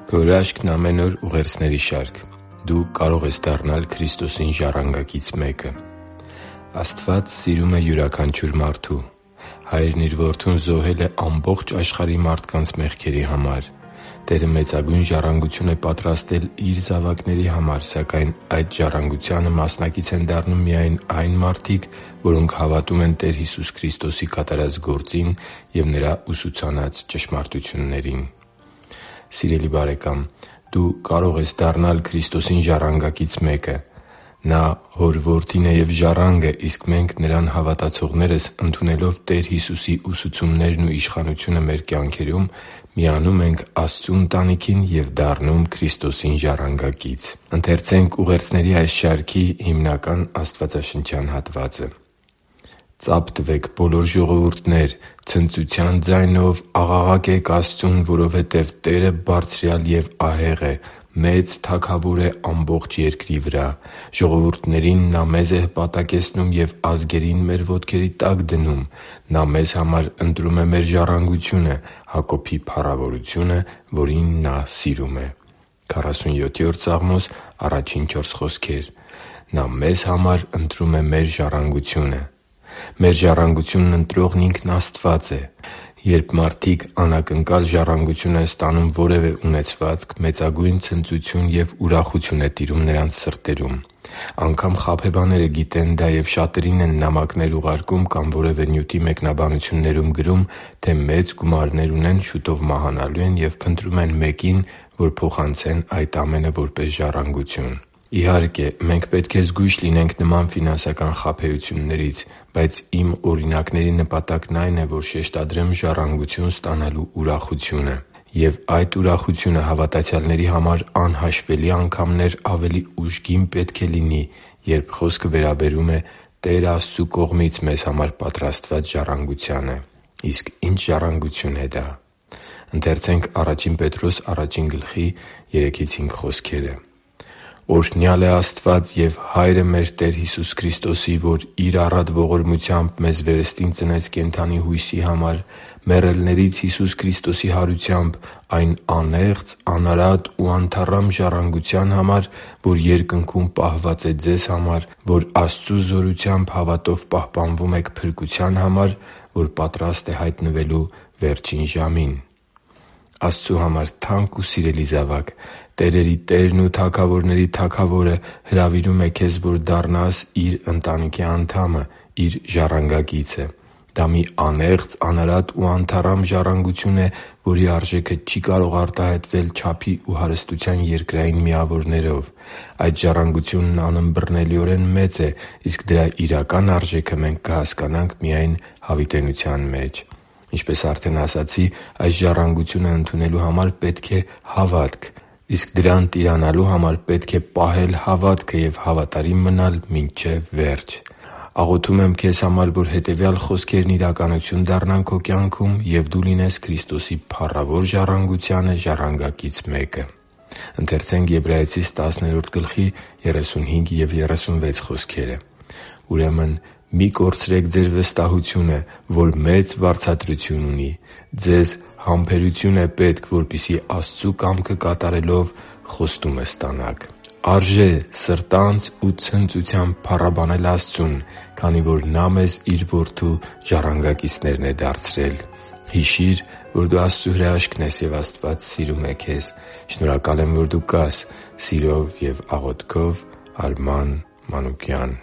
Քո հրաշքն ամեն օր ուղերձների շարք։ Դու կարող ես դառնալ Քրիստոսին ժառանգակից մեկը։ Աստված սիրում է յուրաքանչյուր մարդու։ Հայրն իր Որդուն զոհել է ամբողջ աշխարհի մարդկանց մեղքերի համար։ Տերը մեծագույն ժառանգություն է պատրաստել Իր զավակների համար, սակայն այդ ժառանգությանը մասնակից են դառնում միայն այն մարդիկ, որոնք հավատում են Տեր Հիսուս Քրիստոսի կատարած գործին և Նրա ուսուցանած ճշմարտություններին։ Սիրելի՛ բարեկամ, դու կարող ես դառնալ Քրիստոսին ժառանգակից մեկը։ Նա Հոր Որդին է և ժառանգը, իսկ մենք՝ Նրան հավատացողներս, ընդունելով Տեր Հիսուսի ուսուցումներն ու իշխանությունը մեր կյանքերում, միանում ենք Աստծու ընտանիքին և դառնում Քրիստոսին ժառանգակից։ «Ծա՛փ տվեք, բոլոր ժողովուրդներ, ցնծության ձայնով աղաղակե՛ք Աստծուն, որովհետև Տերը Բարձրյալ և ահեղ է, մեծ Թագավոր է ամբողջ երկրի վրա։ Ժողովուրդներին Նա մեզ է հպատակեցնում և ազգերին մեր ոտքերի տակ դնում։ Նա մեզ համար ընտրում է մեր ժառանգությունը, Հակոբի փառավորությունը, որին Նա սիրում է» (Սաղմոս 47 առաջին 4 խոսքեր)։ Նա մեզ համար ընտրում է մեր ժառանգությունը։ Մեր ժառանգությունն ընտրողն Ինքն Աստված է։ Երբ մարդիկ անակնկալ ժառանգություն են ստանում որևէ ունեցվածք, մեծագույն ցնծություն և ուրախություն է տիրում նրանց սրտերում։ Անգամ խաբեբաները գիտեն դա և շատերին են նամակներ ուղարկում կամ որևէ նյութի մեկնաբանություններում գրում, թե մեծ գումարներ ունեն, շուտով մահանալու են և փնտրում են մեկին, որ փոխանցեն այդ ամենը որպես ժառանգություն։ Իհարկե, մենք պետք է զգույշ լինենք նման ֆինանսական խաբեություններից, բայց իմ օրինակների նպատակն այն է, որ շեշտադրեմ ժառանգություն ստանալու ուրախությունը։ Եվ այդ ուրախությունը հավատացյալների համար անհաշվելի անգամներ ավելի ուժգին պետք է լինի, երբ խոսքը վերաբերում է Տեր Աստծու կողմից մեզ համար պատրաստված ժառանգությանը։ Իսկ ի՞նչ ժառանգություն է դա։ «Օրհնյալ է Աստված և Հայրը մեր Տեր Հիսուս Քրիստոսի, որ Իր առատ ողորմությամբ մեզ վերստին ծնեց կենդանի հույսի համար, մեռելներից Հիսուս Քրիստոսի հարությամբ, այն անեղծ, անարատ ու անթառամ ժառանգության համար, որ երկնքում պահված է ձեզ համար, որ Աստծու զորությամբ հավատով պահպանվում եք փրկության համար, որ պատրաստ է հայտնվելու վերջին ժամին» (Ա Պետրոս 1.3-5)։ Աստծու համար թանկ ու սիրելի՛ զավակ, տերերի Տերն ու թագավորների Թագավորը հրավիրում է քեզ, որ դառնաս Իր ընտանիքի անդամը, Իր ժառանգակիցը։ Դա մի անեղծ, անարատ ու անթառամ ժառանգություն է, որի արժեքը չի կարող արտահայտվել չափի ու հարստության երկրային միավորներով։ Այդ ժառանգությունն անըմբռնելիորեն մեծ է, իսկ դրա իրական արժեքը մենք կհասկանանք միայն հավիտենության մեջ։ Ինչպես արդեն ասացի, այս ժառանգությունը ընդունելու համար պետք է հավատք, իսկ դրան տիրանալու համար պետք է պահել հավատքը և հավատարիմ մնալ մինչև վերջ։ Աղոթում եմ քեզ համար, որ հետևյալ խոսքերն իրականություն դառնան քո կյանքում, և դու լինես Քրիստոսի փառավոր ժառանգությանը ժառանգակից մեկը։ «Ուրեմն մի՛ կորցրեք ձեր վստահությունը, որ մեծ վարձատրություն ունի։ Ձեզ համբերություն է պետք, որպեսզի Աստծու կամքը կատարելով խոստումը ստանաք» (Եբրայեցիս 10:30)։ Արժե սրտանց ու ցնծությամբ փառաբանել Աստծուն, քանի որ Նա մեզ Իր Որդու ժառանգակիցներն է դարձրել։ Հիշի՛ր, որ դու Աստծո հրաշքն ես, և Աստված սիրում է քեզ։ Շնորհակալ եմ, որ դու կա՛ս։ Սիրով և աղոթքով, Արման Մանուկյան։